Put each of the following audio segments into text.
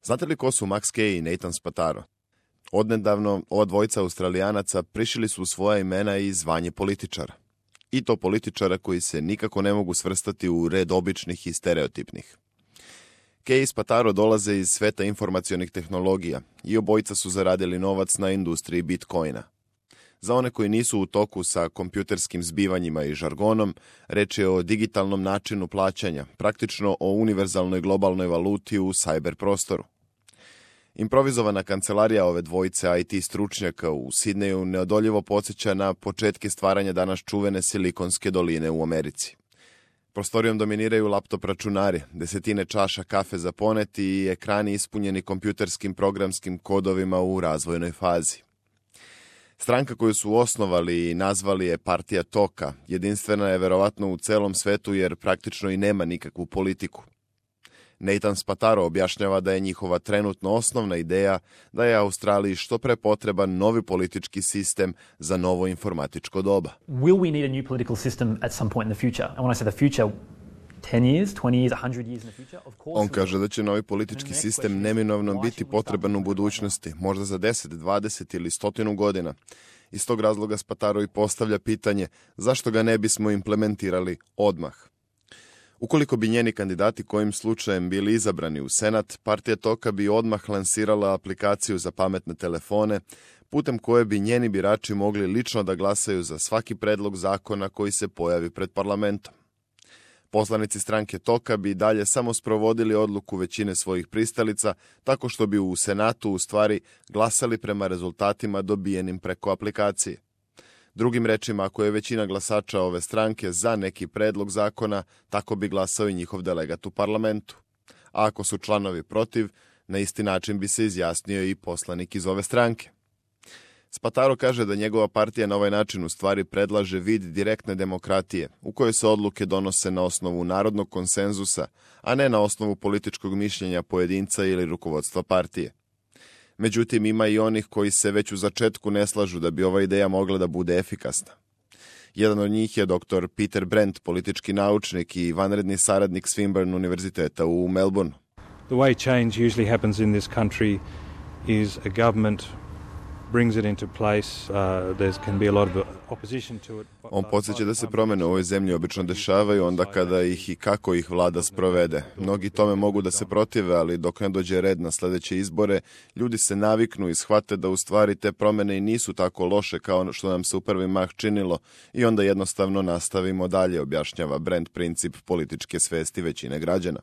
Znate li ko su Max Kay i Nathan Spataro? Odnedavno, ova dvojica Australijanaca prišili su svoja imena i zvanje političara. I to političara koji se nikako ne mogu svrstati u red običnih i stereotipnih. Kay i Spataro dolaze iz sveta informacionih tehnologija i obojica su zaradili novac na industriji Bitcoina. Za one koji nisu u toku sa kompjuterskim zbivanjima i žargonom, reč je o digitalnom načinu plaćanja, praktično o univerzalnoj globalnoj valuti u cyber prostoru. Improvizovana kancelarija ove dvojice IT stručnjaka u Sidneju neodoljivo podsjeća na početke stvaranja danas čuvene Silikonske doline u Americi. Prostorijom dominiraju laptop računari, desetine čaša kafe za poneti i ekrani ispunjeni kompjuterskim programskim kodovima u razvojnoj fazi. Stranka koju su osnovali i nazvali je Partija toka, jedinstvena je verovatno u celom svetu jer praktično i nema nikakvu politiku. Nathan Spataro objašnjava da je njihova trenutno osnovna ideja da je Australiji što pre potreban novi politički sistem za novo informatičko doba. Will we need a new political system at some point in the future? And when I say the future, 10 years, 20 years, 100 years in the future? Of course. On kaže da će novi politički sistem neminovno biti potreban u budućnosti, možda za 10, 20 ili 100 godina. Iz tog razloga Spataro i postavlja pitanje zašto ga ne bismo implementirali odmah. Ukoliko bi njeni kandidati kojim slučajem bili izabrani u Senat, Partija toka bi odmah lansirala aplikaciju za pametne telefone, putem koje bi njeni birači mogli lično da glasaju za svaki predlog zakona koji se pojavi pred parlamentom. Poslanici stranke toka bi dalje samo sprovodili odluku većine svojih pristalica, tako što bi u Senatu u stvari glasali prema rezultatima dobijenim preko aplikacije. Drugim rečima, ako je većina glasača ove stranke za neki predlog zakona, tako bi glasao i njihov delegat u parlamentu. A ako su članovi protiv, na isti način bi se izjasnio i poslanik iz ove stranke. Spataro kaže da njegova partija na ovaj način u stvari predlaže vid direktne demokratije, u kojoj se odluke donose na osnovu narodnog konsenzusa, a ne na osnovu političkog mišljenja pojedinca ili rukovodstva partije. Međutim, ima i onih koji se već u začetku ne slažu da bi ova ideja mogla da bude efikasna. Jedan od njih je dr. Peter Brent, politički naučnik i vanredni saradnik Swinburne univerziteta u Melbourneu. The way change usually happens in this country is a government brings it into place. There can be a lot of opposition to it. On podsjeća da se promjene u ovoj zemlji obično dešavaju onda kada ih i kako ih vlada sprovede. Mnogi tome mogu da se protive, ali dok ne dođe red na sledeće izbore, ljudi se naviknu i shvate da u stvari te promjene i nisu tako loše kao što nam se u prvi mah činilo i onda jednostavno nastavimo dalje, objašnjava Brent princip političke svesti većine građana.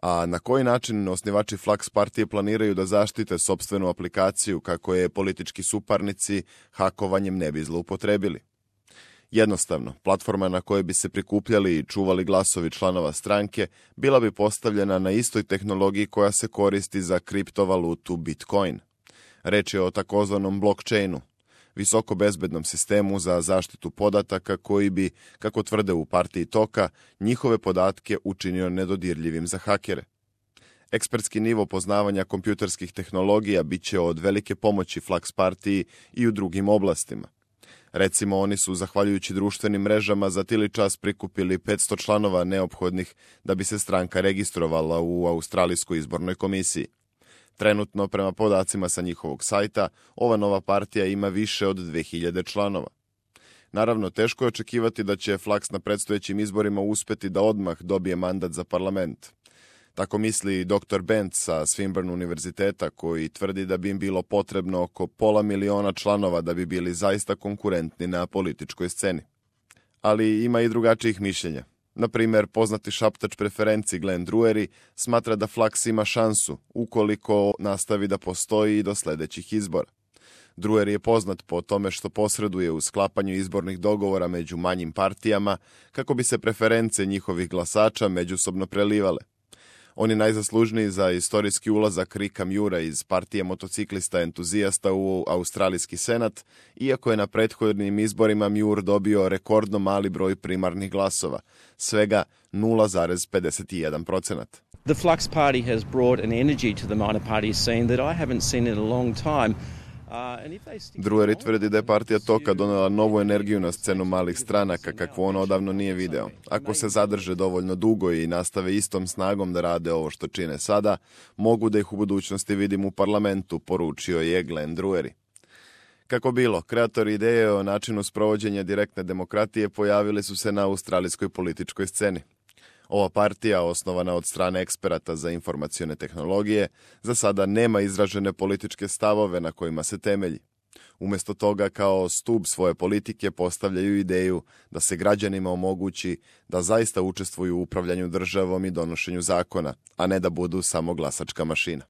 A na koji način osnivači Flux partije planiraju da zaštite sopstvenu aplikaciju kako je politički suparnici hakovanjem ne bi zloupotrebili? Jednostavno, platforma na kojoj bi se prikupljali i čuvali glasovi članova stranke bila bi postavljena na istoj tehnologiji koja se koristi za kriptovalutu Bitcoin. Reč je o takozvanom blockchainu, visoko bezbednom sistemu za zaštitu podataka koji bi, kako tvrde u partiji toka, njihove podatke učinio nedodirljivim za hakere. Ekspertski nivo poznavanja kompjuterskih tehnologija bit će od velike pomoći Flux partiji i u drugim oblastima. Recimo, oni su, zahvaljujući društvenim mrežama, za tili čas prikupili 500 članova neophodnih da bi se stranka registrovala u Australijskoj izbornoj komisiji. Trenutno, prema podacima sa njihovog sajta, ova nova partija ima više od 2000 članova. Naravno, teško je očekivati da će Flux na predstojećim izborima uspeti da odmah dobije mandat za parlament. Tako misli i dr. Bent sa Swinburne univerziteta, koji tvrdi da bi im bilo potrebno oko 500.000 članova da bi bili zaista konkurentni na političkoj sceni. Ali ima i drugačijih mišljenja. Na primjer, poznati šaptač preferenci Glenn Druery smatra da Flux ima šansu ukoliko nastavi da postoji i do sledećih izbora. Druery je poznat po tome što posreduje u sklapanju izbornih dogovora među manjim partijama kako bi se preference njihovih glasača međusobno prelivale. On je najzaslužniji za istorijski ulazak Ricka Muira iz partije motociklista entuzijasta u Australijski senat, iako je na prethodnim izborima Muir dobio rekordno mali broj primarnih glasova, svega 0,51%. The Flux party has brought an energy to the minor party scene that I haven't seen in a long time. Drueri tvrdi da je partija Toka donela novu energiju na scenu malih stranaka kakvu on odavno nije video. Ako se zadrže dovoljno dugo i nastave istom snagom da rade ovo što čine sada, mogu da ih u budućnosti vidim u parlamentu, poručio je Glenn Drueri. Kako bilo, kreatori ideje o načinu sprovođenja direktne demokratije pojavili su se na australijskoj političkoj sceni. Ova partija, osnovana od strane eksperata za informacione tehnologije, za sada nema izražene političke stavove na kojima se temelji. Umjesto toga, kao stub svoje politike postavljaju ideju da se građanima omogući da zaista učestvuju u upravljanju državom i donošenju zakona, a ne da budu samo glasačka mašina.